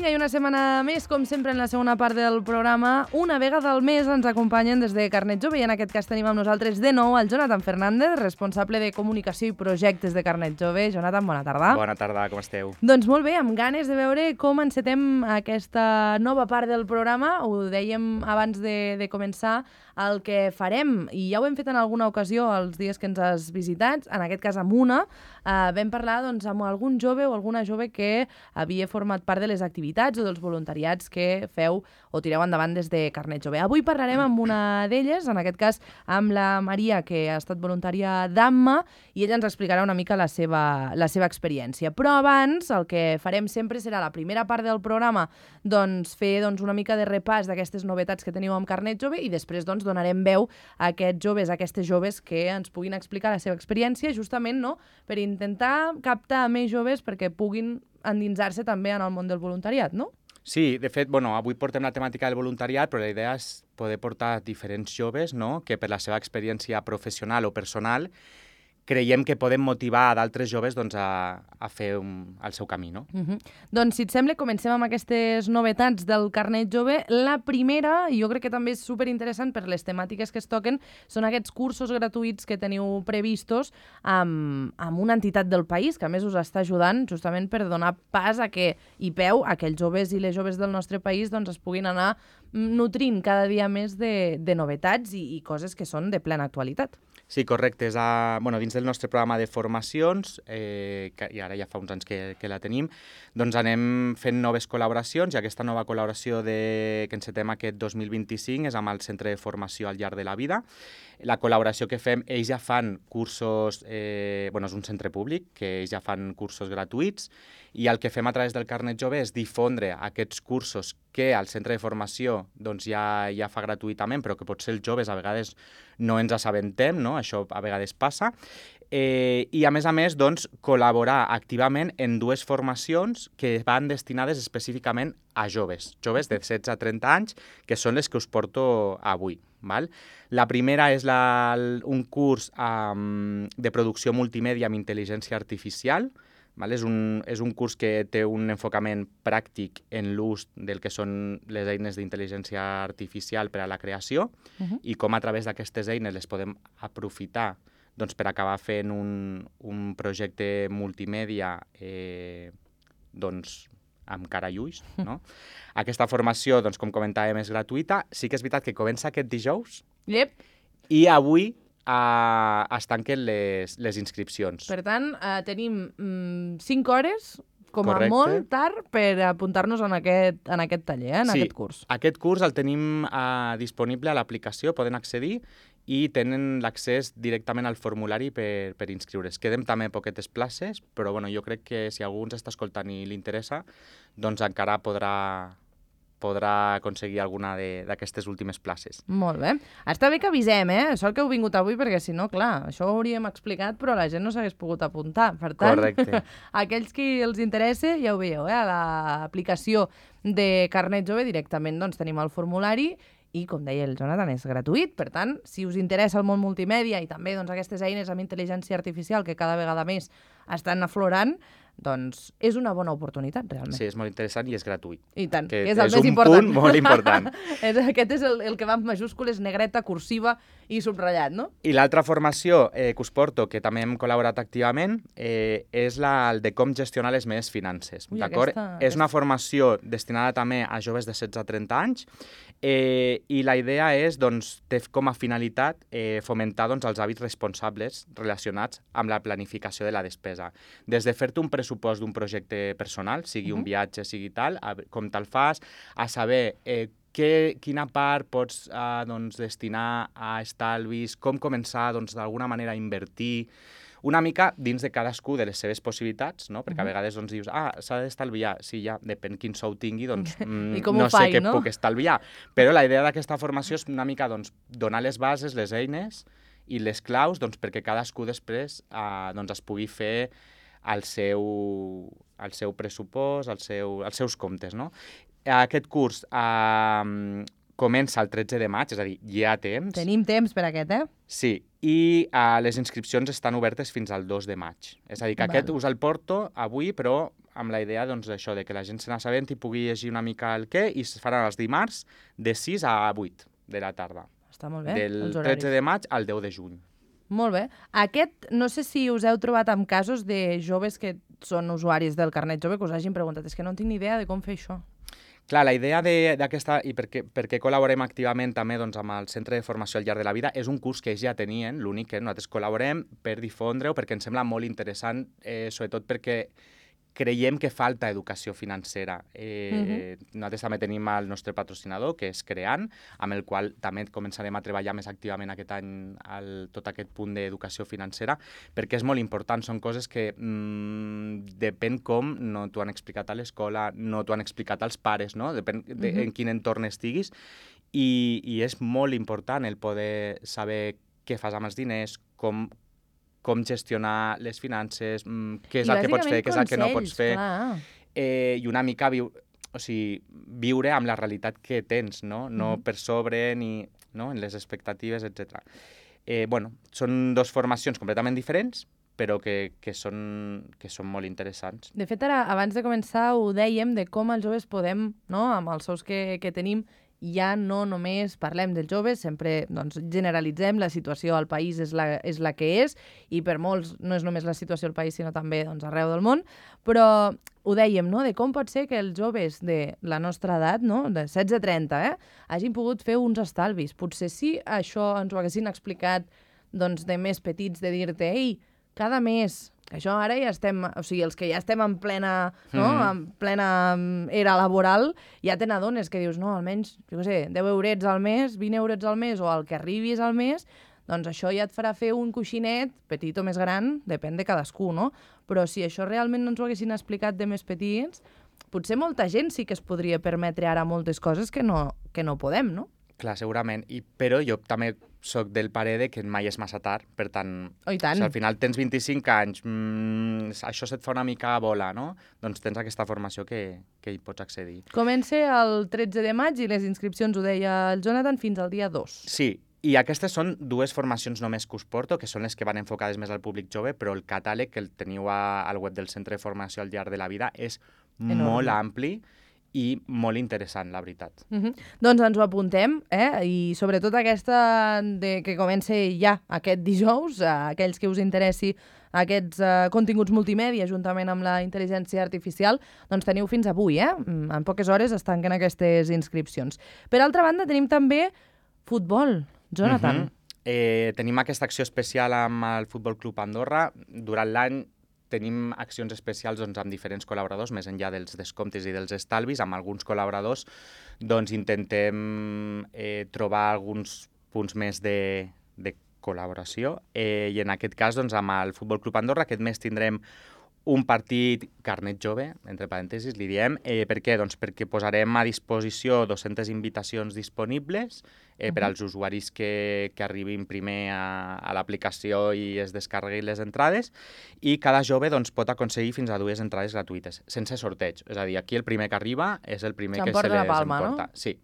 Vinga, i una setmana més, com sempre, en la segona part del programa. Una vegada al mes ens acompanyen des de Carnet Jove i en aquest cas tenim amb nosaltres de nou el Jonathan Fernández, responsable de comunicació i projectes de Carnet Jove. Jonathan, bona tarda. Bona tarda, com esteu? Doncs molt bé, amb ganes de veure com encetem aquesta nova part del programa. Ho dèiem abans de començar, el que farem, i ja ho hem fet en alguna ocasió els dies que ens has visitat, en aquest cas amb una, vam parlar doncs, amb algun jove o alguna jove que havia format part de les activitats o dels voluntariats que feu o tireu endavant des de Carnet Jove. Avui parlarem amb una d'elles, en aquest cas amb la Maria, que ha estat voluntària d'AMMA, i ella ens explicarà una mica la seva experiència. Però abans, el que farem sempre serà la primera part del programa, doncs, fer una mica de repàs d'aquestes novetats que teniu amb Carnet Jove i després donarem veu a aquests joves, a aquestes joves que ens puguin explicar la seva experiència, justament per intentar captar més joves perquè puguin endinsar-se també en el món del voluntariat, no? Sí, de fet, avui portem la temàtica del voluntariat, però la idea és poder portar diferents joves, que per la seva experiència professional o personal creiem que podem motivar d'altres joves a fer el seu camí, no? Doncs, si et sembla, comencem amb aquestes novetats del Carnet Jove. La primera, i jo crec que també és superinteressant per les temàtiques que es toquen, són aquests cursos gratuïts que teniu previstos amb una entitat del país, que a més us està ajudant justament per donar pas i peu a que els joves i les joves del nostre país es puguin anar nutrint cada dia més de novetats i coses que són de plena actualitat. Sí, correcte. És dins del nostre programa de formacions, i ara ja fa uns anys que la tenim, doncs anem fent noves col·laboracions, i aquesta nova col·laboració que encetem aquest 2025 és amb el Centre de Formació al llarg de la vida. La col·laboració que fem, ells ja fan cursos, és un centre públic, que ells ja fan cursos gratuïts, i el que fem a través del Carnet Jove és difondre aquests cursos que el centre de formació ja fa gratuïtament, però que potser els joves a vegades no ens assabentem, no? Això a vegades passa. I a més, col·laborar activament en dues formacions que van destinades específicament a joves de 16 a 30 anys, que són les que us porto avui. Val? La primera és un curs de producció multimèdia amb intel·ligència artificial. Val? És un curs que té un enfocament pràctic en l'ús del que són les eines d'intel·ligència artificial per a la creació i com a través d'aquestes eines les podem aprofitar per acabar fent un projecte multimèdia amb cara i ulls. No? Aquesta formació, com comentàvem, és gratuïta. Sí que és veritat que comença aquest dijous i avui es tanquen les inscripcions. Per tant, tenim 5 hores, com a molt tard, per apuntar-nos en aquest taller, en aquest curs. Sí, aquest curs el tenim disponible a l'aplicació, poden accedir i tenen l'accés directament al formulari per inscriure's. Queden també poquetes places, però jo crec que si algú ens està escoltant i li interessa, doncs encara podrà aconseguir alguna d'aquestes últimes places. Molt bé. Està bé que avisem, Sort que heu vingut avui, perquè si no, clar, això ho hauríem explicat, però la gent no s'hagués pogut apuntar. Per tant, correcte. Aquells que els interessa, ja ho veieu, a l'aplicació de Carnet Jove directament tenim el formulari i, com deia el Jonathan, és gratuït. Per tant, si us interessa el món multimèdia i també aquestes eines amb intel·ligència artificial que cada vegada més estan aflorant, doncs és una bona oportunitat, realment. Sí, és molt interessant i és gratuït. I tant, que és el més important. És un punt molt important. Aquest és el que va amb majúscules, negreta, cursiva i subratllat, no? I l'altra formació que us porto, que també hem col·laborat activament, és el de com gestionar les meves finances. D'acord? És una formació destinada també a joves de 16 a 30 anys, i la idea és, té com a finalitat fomentar els hàbits responsables relacionats amb la planificació de la despesa. Des de fer-te un pressupost d'un projecte personal, sigui un viatge, sigui tal, com te'l fas, a saber quina part pots destinar a estalvis, com començar d'alguna manera a invertir, una mica dins de cadascú de les seves possibilitats, no? Perquè a vegades dius, s'ha d'estalviar. Sí, ja, depèn quin sou tingui, no sé què puc estalviar. Però la idea d'aquesta formació és una mica donar les bases, les eines i les claus perquè cadascú després es pugui fer el seu pressupost, els seus comptes, no? Aquest curs comença el 13 de maig, és a dir, hi ha temps. Tenim temps per aquest, Sí, i les inscripcions estan obertes fins al 2 de maig. És a dir, que aquest us el porto avui, però amb la idea doncs, d'això, de que la gent se n'assabenti i pugui llegir una mica el què, i es faran els dimarts de 6 a 8 de la tarda. Està molt bé, Del els horaris. 13 de maig al 10 de juny. Molt bé. Aquest, no sé si us heu trobat amb casos de joves que són usuaris del carnet jove que us hagin preguntat, és que no tinc ni idea de com fer això. Clar, la idea d'aquesta, i per què col·laborem activament també doncs, amb el Centre de Formació al llarg de la vida, és un curs que ells ja tenien, l'únic que nosaltres col·laborem per difondre-ho, perquè ens sembla molt interessant, sobretot perquè creiem que falta educació financera. Nosaltres també tenim el nostre patrocinador, que és Creant, amb el qual també començarem a treballar més activament aquest any tot aquest punt d'educació financera, perquè és molt important, són coses que depèn com no t'ho han explicat a l'escola, no t'ho han explicat als pares, no? Depèn en quin entorn estiguis, i és molt important el poder saber què fas amb els diners, com gestionar les finances, què és el que pots fer, què és el que no pots fer, i una mica viure amb la realitat que tens, no? No per sobre ni en les expectatives, etc. Són dues formacions completament diferents, però que són molt interessants. De fet, ara, abans de començar, ho dèiem de com els joves podem, no?, amb els sous que tenim, ja no només parlem dels joves, sempre generalitzem, la situació al país és la que és, i per molts no és només la situació al país, sinó també arreu del món, però ho dèiem, no?, de com pot ser que els joves de la nostra edat, no?, de 16 a 30, hagin pogut fer uns estalvis. Potser si això ens ho haguessin explicat de més petits, de dir-te, ei, cada mes, que això ara ja estem, o sigui, els que ja estem en plena, en plena era laboral, ja te n'adones que dius, no, almenys, jo què sé, 10 eurets al mes, 20 eurets al mes, o el que arribis al mes, doncs això ja et farà fer un coixinet, petit o més gran, depèn de cadascú, no? Però si això realment no ens ho haguessin explicat de més petits, potser molta gent sí que es podria permetre ara moltes coses que no podem, no? Clar, segurament, però jo també soc del parer de que mai és massa tard, per tant, Oh, i tant. Si al final tens 25 anys, això se't fa una mica bola, no? Doncs tens aquesta formació que hi pots accedir. Comença el 13 de maig i les inscripcions, ho deia el Jonathan, fins al dia 2. Sí, i aquestes són dues formacions només que us porto, que són les que van enfocades més al públic jove, però el catàleg que el teniu al web del Centre de Formació al llarg de la vida és molt ampli i molt interessant, la veritat. Doncs ens ho apuntem, i sobretot aquesta que comença ja aquest dijous, aquells que us interessi aquests continguts multimèdia juntament amb la intel·ligència artificial, doncs teniu fins avui, en poques hores es tanquen aquestes inscripcions. Per altra banda, tenim també futbol, Jonathan. Tenim aquesta acció especial amb el Futbol Club Andorra. Durant l'any tenim accions especials amb diferents col·laboradors, més enllà dels descomptes i dels estalvis. Amb alguns col·laboradors intentem trobar alguns punts més de col·laboració. I en aquest cas, amb el Futbol Club Andorra, aquest mes tindrem un partit carnet jove, entre parèntesis, li diem. Per què? Doncs perquè posarem a disposició 200 invitacions disponibles per als usuaris que arribin primer a l'aplicació i es descarreguin les entrades, i cada jove pot aconseguir fins a 2 entrades gratuïtes, sense sorteig. És a dir, aquí el primer que arriba és el primer que se les palma, emporta. No? Sí.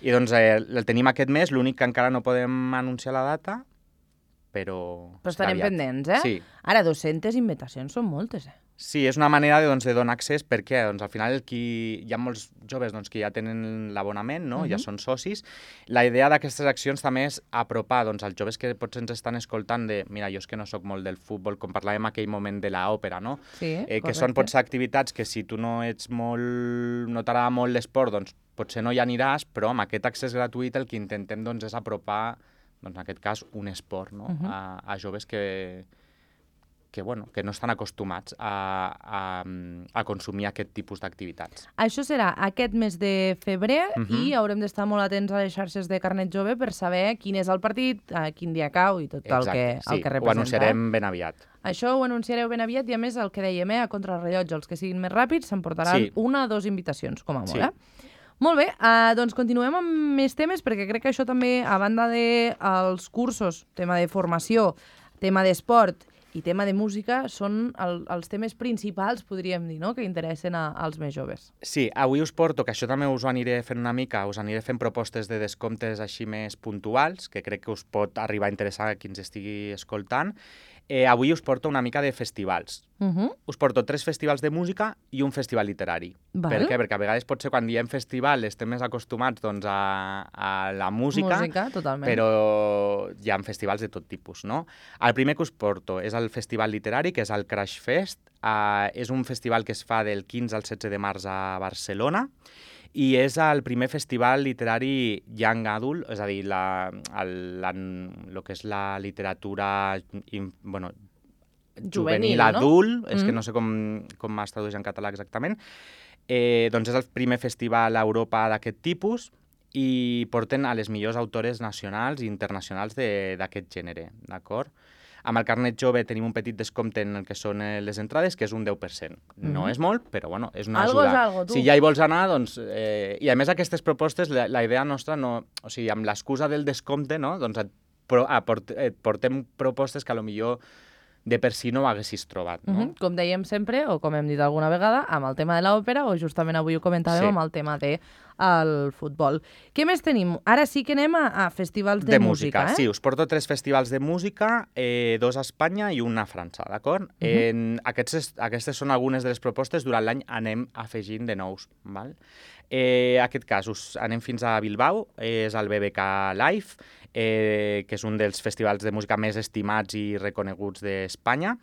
I el tenim aquest mes, l'únic que encara no podem anunciar la data, però estarem pendents, Sí. Ara, 200 invitacions són moltes, Sí, és una manera de donar accés, perquè al final hi ha molts joves que ja tenen l'abonament, no? Ja són socis. La idea d'aquestes accions també és apropar als joves que potser ens estan escoltant de, mira, jo és que no sóc molt del futbol, com parlàvem aquell moment de l'òpera, no? Sí, que són potser activitats que si tu no t'agrada molt l'esport, doncs potser no hi aniràs, però amb aquest accés gratuït el que intentem és apropar, en aquest cas, un esport, no? A joves que no estan acostumats a consumir aquest tipus d'activitats. Això serà aquest mes de febrer i haurem d'estar molt atents a les xarxes de Carnet Jove per saber quin és el partit, quin dia cau i tot el que representa. Ho anunciarem ben aviat. Això ho anunciareu ben aviat i, a més, el que dèiem, a contrarrellotge, els que siguin més ràpids s'emportaran 1 o 2 invitacions, com a molt, Molt bé, doncs continuem amb més temes, perquè crec que això també, a banda dels cursos, tema de formació, tema d'esport i tema de música, són els temes principals, podríem dir, no?, que interessen als més joves. Sí, avui us porto, que això també us ho aniré fent una mica, us aniré fent propostes de descomptes així més puntuals, que crec que us pot arribar a interessar a qui ens estigui escoltant. avui us porto una mica de festivals. Us porto 3 festivals de música i un festival literari. Val. Per què? Perquè a vegades potser quan diem festival estem més acostumats doncs, a la música, totalment. però hi ha festivals de tot tipus, no? El primer que us porto és el festival literari, que és el Crash Fest. És un festival que es fa del 15 al 16 de març a Barcelona i és el primer festival literari young adult, és a dir, el que és la literatura juvenil adult, és que no sé com es tradueix en català exactament, doncs és el primer festival a Europa d'aquest tipus i porten a les millors autores nacionals i internacionals d'aquest gènere, d'acord? Amb el carnet jove tenim un petit descompte en el que són les entrades, que és un 10%. No és molt, però bueno, és una Algo ajuda. és algo, tu. Si ja hi vols anar, doncs... I a més aquestes propostes, la idea nostra no... O sigui, amb l'excusa del descompte, no? Doncs et portem propostes que potser de per si no ho haguessis trobat, no? Com dèiem sempre, o com hem dit alguna vegada, amb el tema de l'òpera, o justament avui ho comentàvem amb el tema del futbol. Què més tenim? Ara sí que anem a festivals de música, eh? Sí, us porto 3 festivals de música, 2 a Espanya i un a França, d'acord? Aquestes són algunes de les propostes, durant l'any anem afegint de nous, val? En aquest cas, anem fins a Bilbao, és el BBK Live, que és un dels festivals de música més estimats i reconeguts d'Espanya.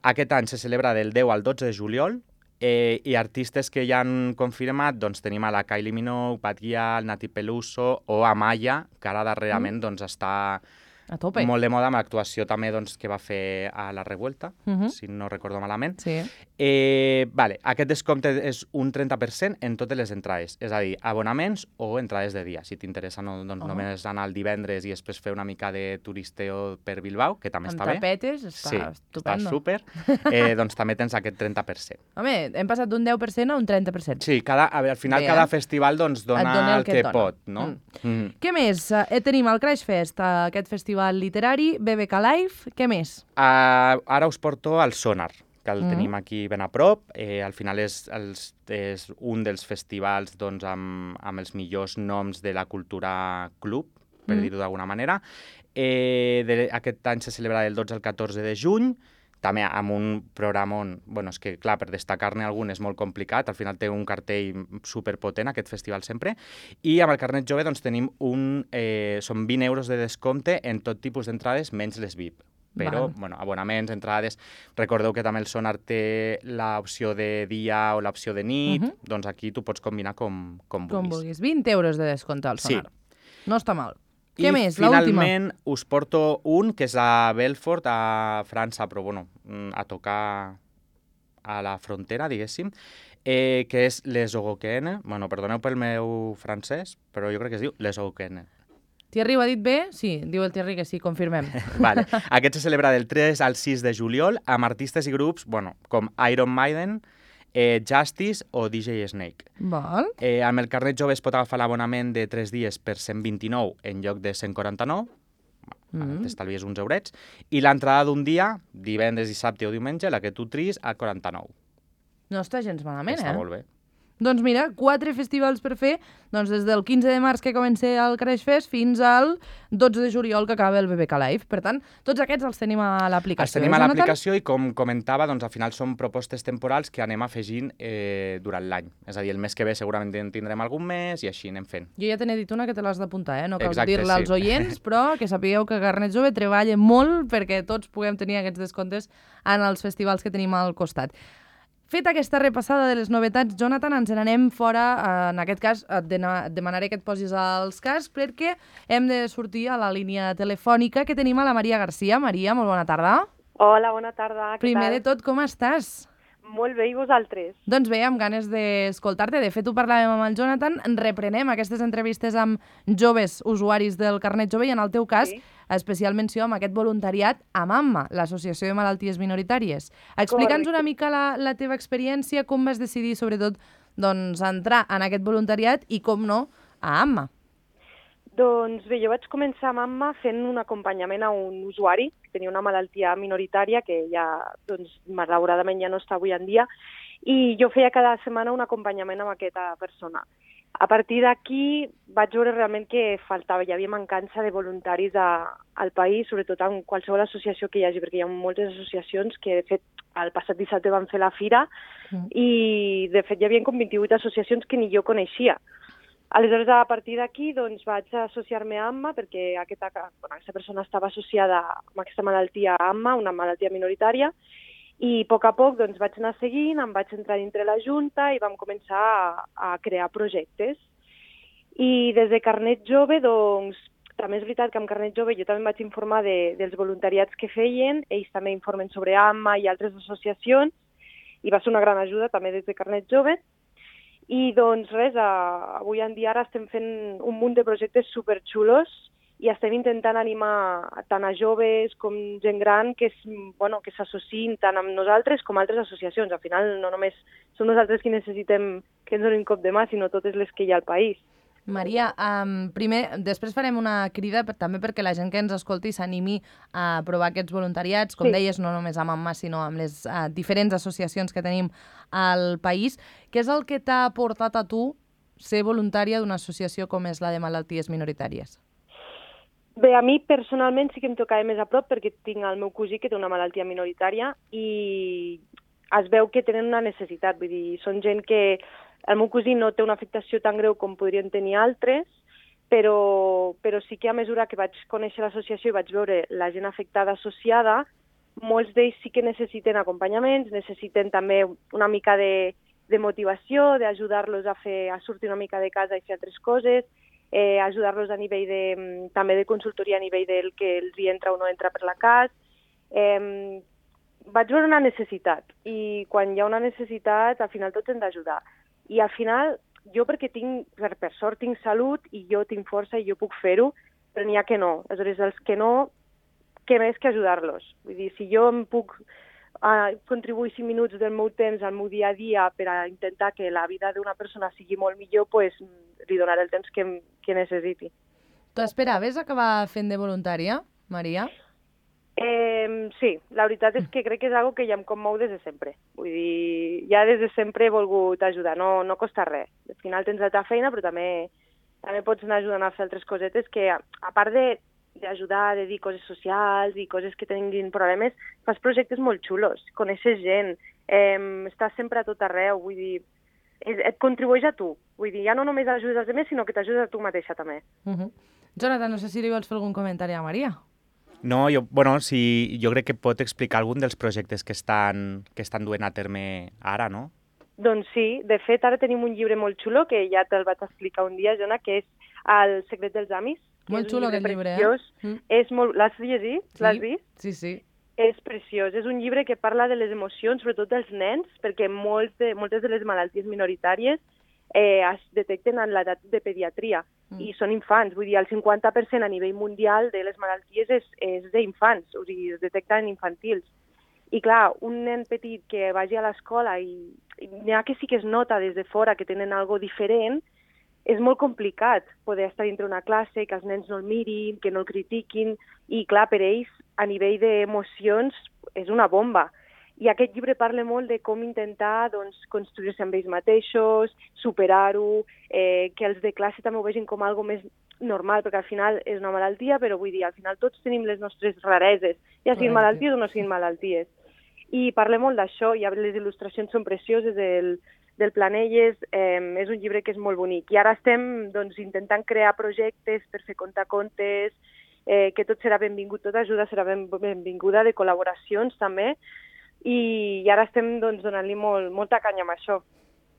Aquest any se celebra del 10 al 12 de juliol i artistes que ja han confirmat, doncs tenim a la Kylie Minogue, Bad Gyal, Nati Peluso o Amaya, que ara darrerament doncs, està a tope. Molt de moda amb l'actuació també doncs, que va fer a La Revuelta, si no recordo malament. Sí. Aquest descompte és un 30% en totes les entrades, és a dir, abonaments o entrades de dia. Si t'interessa només anar el divendres i després fer una mica de turisteo per Bilbao, que també està bé. Amb tapetes, està estupendo. Està súper. Doncs també tens aquest 30%. Home, hem passat d'un 10% a un 30%. Sí, al final cada festival doncs, dona el que pot, no? Què més? Tenim el Crash Fest, aquest festival literari, BBK Live, què més? Ara us porto el Sonar, que el tenim aquí ben a prop. Al final és un dels festivals doncs, amb els millors noms de la cultura club, per dir-ho d'alguna manera. Aquest any se celebra del 12 al 14 de juny, també amb un programa on, és que clar, per destacar-ne algun és molt complicat, al final té un cartell superpotent aquest festival sempre, i amb el carnet jove doncs tenim són 20 euros de descompte en tot tipus d'entrades, menys les VIP. Però, abonaments, entrades... Recordeu que també el Sonar té l'opció de dia o l'opció de nit, doncs aquí tu pots combinar com vulguis. Com vulguis. 20 euros de descompte al Sonar. Sí. No està mal. Què més? I finalment us porto un que és a Belfort, a França, però a tocar a la frontera, diguéssim, que és Les Ogokeene. Perdoneu pel meu francès, però jo crec que es diu Les Ogokeene. Thierry ho ha dit bé? Sí, diu el Thierry que sí, confirmem. Aquest se celebra del 3 al 6 de juliol amb artistes i grups com Iron Maiden, Justice o DJ Snake. Val. Amb el carnet jove es pot agafar l'abonament de 3 dies per 129 en lloc de 149, t'estalvies uns eurets, i l'entrada d'un dia, divendres, dissabte o diumenge, la que tu tris, a 49. No està gens malament, Està molt bé. Doncs mira, 4 festivals per fer, doncs des del 15 de març que comença el Crash Fest fins al 12 de juliol que acaba el BBK Live. Per tant, tots aquests els tenim a l'aplicació. Els tenim a l'aplicació i, com comentava, doncs al final són propostes temporals que anem afegint durant l'any. És a dir, el mes que ve segurament en tindrem algun mes i així anem fent. Jo ja te n'he dit una que te l'has d'apuntar, no cal dir-la als oients, però que sapigueu que Carnet Jove treballa molt perquè tots puguem tenir aquests descomptes en els festivals que tenim al costat. Feta aquesta repassada de les novetats, Jonathan, ens n'anem fora. En aquest cas, et demanaré que et posis als cascs perquè hem de sortir a la línia telefònica que tenim a la Maria Garcia. Maria, molt bona tarda. Hola, bona tarda. Primer de tot, com estàs? Molt bé, i vosaltres? Doncs bé, amb ganes d'escoltar-te. De fet, ho parlàvem amb el Jonathan. Reprenem aquestes entrevistes amb joves usuaris del Carnet Jove i, en el teu cas, especial menció amb aquest voluntariat amb AMMA, l'Associació de Malalties Minoritàries. Explica'ns una mica la teva experiència, com vas decidir, sobretot, entrar en aquest voluntariat i, com no, a AMMA. Doncs bé, jo vaig començar amb AMMA fent un acompanyament a un usuari que tenia una malaltia minoritària que ja, malauradament, ja no està avui en dia, i jo feia cada setmana un acompanyament amb aquesta persona. A partir d'aquí vaig veure realment que faltava, hi havia mancança de voluntaris al país, sobretot en qualsevol associació que hi hagi, perquè hi ha moltes associacions que, de fet, el passat dissabte van fer la fira i, de fet, hi havia com 28 associacions que ni jo coneixia. Aleshores, a partir d'aquí, doncs, vaig associar-me a AMMA perquè aquesta persona estava associada amb aquesta malaltia a AMMA, una malaltia minoritària, i a poc doncs, vaig anar seguint, em vaig entrar dintre la Junta i vam començar a crear projectes. I des de Carnet Jove, doncs, també és veritat que amb Carnet Jove jo també em vaig informar dels voluntariats que feien, ells també informen sobre AMMA i altres associacions, i va ser una gran ajuda també des de Carnet Jove. I doncs res, avui en dia ara estem fent un munt de projectes superxulos i estem intentant animar tant a joves com gent gran que s'associïn tant amb nosaltres com altres associacions. Al final no només som nosaltres qui necessitem que ens donin un cop de mà, sinó totes les que hi ha al país. Maria, després farem una crida també perquè la gent que ens escolti s'animi a provar aquests voluntariats, com deies, no només amb AMMA, sinó amb les diferents associacions que tenim al país. Què és el que t'ha portat a tu ser voluntària d'una associació com és la de malalties minoritàries? Bé, a mi personalment sí que em tocava més a prop perquè tinc el meu cosí que té una malaltia minoritària i es veu que tenen una necessitat. Vull dir, són gent que el meu cosí no té una afectació tan greu com podrien tenir altres, però sí que a mesura que vaig conèixer l'associació i vaig veure la gent afectada associada, molts d'ells sí que necessiten acompanyaments, necessiten també una mica de motivació, d'ajudar-los a sortir una mica de casa i fer altres coses, ajudar-los a nivell també de consultoria a nivell del que els hi entra o no entra per la cas. Vaig veure una necessitat i quan hi ha una necessitat al final tots hem d'ajudar. I al final jo perquè per sort tinc salut i jo tinc força i jo puc fer-ho, però n'hi ha que no. Aleshores, els que no, què més que ajudar-los? Vull dir, si jo em puc contribuir 5 minuts del meu temps al meu dia a dia per a intentar que la vida d'una persona sigui molt millor, doncs li donaré el temps que necessiti. Tu esperaves acabar fent de voluntària, Maria? Sí, la veritat és que crec que és una cosa que ja em commou des de sempre. Vull dir, ja des de sempre he volgut ajudar, no costa res. Al final tens la teva feina, però també pots anar ajudant a fer altres cosetes que, a part d'ajudar, de dir coses socials i coses que tinguin problemes, fas projectes molt xulos, coneixes gent, estàs sempre a tot arreu, vull dir, et contribueix a tu. Vull dir, ja no només ajudes als altres, sinó que t'ajudes a tu mateixa també. Jonathan, no sé si li vols fer algun comentari a Maria. No, jo crec que pot explicar algun dels projectes que estan duent a terme ara, no? Doncs sí, de fet ara tenim un llibre molt xulo que ja te'l vaig explicar un dia, Jona, que és El secret dels amis. Molt xulo aquest llibre, És molt... L'has llegit? Sí. L'has vist? Sí. És preciós. És un llibre que parla de les emocions, sobretot dels nens, perquè moltes de les malalties minoritàries es detecten en l'edat de pediatria i són infants. Vull dir, el 50% a nivell mundial de les malalties és d'infants, o sigui, es detecten infantils. I clar, un nen petit que vagi a l'escola i n'hi ha que sí que es nota des de fora que tenen algo diferent, és molt complicat poder estar dintre una classe, que els nens no el mirin, que no el critiquin, i clar, per ells, a nivell d'emocions, és una bomba. I aquest llibre parla molt de com intentar construir-se amb ells mateixos, superar-ho, que els de classe també ho vegin com algo més normal, perquè al final és una malaltia, però vull dir, al final tots tenim les nostres rareses, ja siguin malalties o no siguin malalties. I parla molt d'això, i les il·lustracions són precioses del Planelles, és un llibre que és molt bonic. I ara estem intentant crear projectes per fer contacontes, que tot serà benvingut, tota ajuda serà benvinguda, de col·laboracions també, i ara estem donant-li molta canya amb això.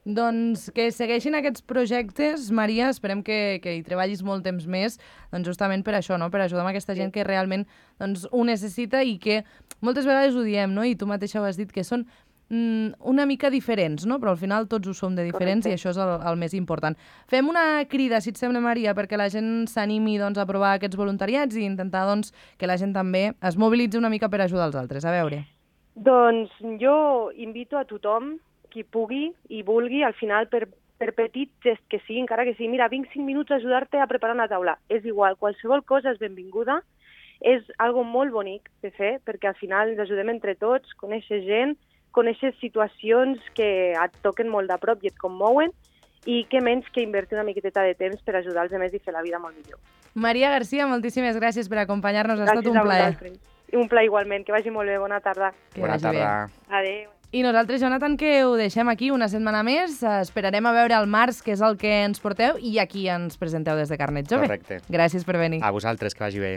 Doncs que segueixin aquests projectes, Maria, esperem que hi treballis molt temps més, justament per això, no? Per ajudar amb aquesta gent que realment ho necessita i que moltes vegades ho diem, no? I tu mateixa ho has dit, que són una mica diferents, no? Però al final tots ho som de diferents. Correcte. I això és el més important. Fem una crida, si et sembla, Maria, perquè la gent s'animi a provar aquests voluntariats i intentar que la gent també es mobilitzi una mica per ajudar els altres. A veure. Doncs jo invito a tothom, qui pugui i vulgui, al final, per petit gest que sigui, encara que sigui, mira, vinc 5 minuts a ajudar-te a preparar una taula. És igual, qualsevol cosa és benvinguda, és algo molt bonic de fer, perquè al final ens ajudem entre tots, conèixer gent, conèixer situacions que et toquen molt de prop i et commouen, i què menys que invertir una miqueteta de temps per ajudar els altres i fer la vida molt millor. Maria Garcia, moltíssimes gràcies per acompanyar-nos, ha estat un plaer. Un plaer igualment, que vagi molt bé, bona tarda. Bona tarda. Adéu. I nosaltres, Jonathan, que ho deixem aquí una setmana més. Esperarem a veure el març, que és el que ens porteu, i aquí ens presenteu des de Carnet Jove. Correcte. Gràcies per venir. A vosaltres, que vagi bé.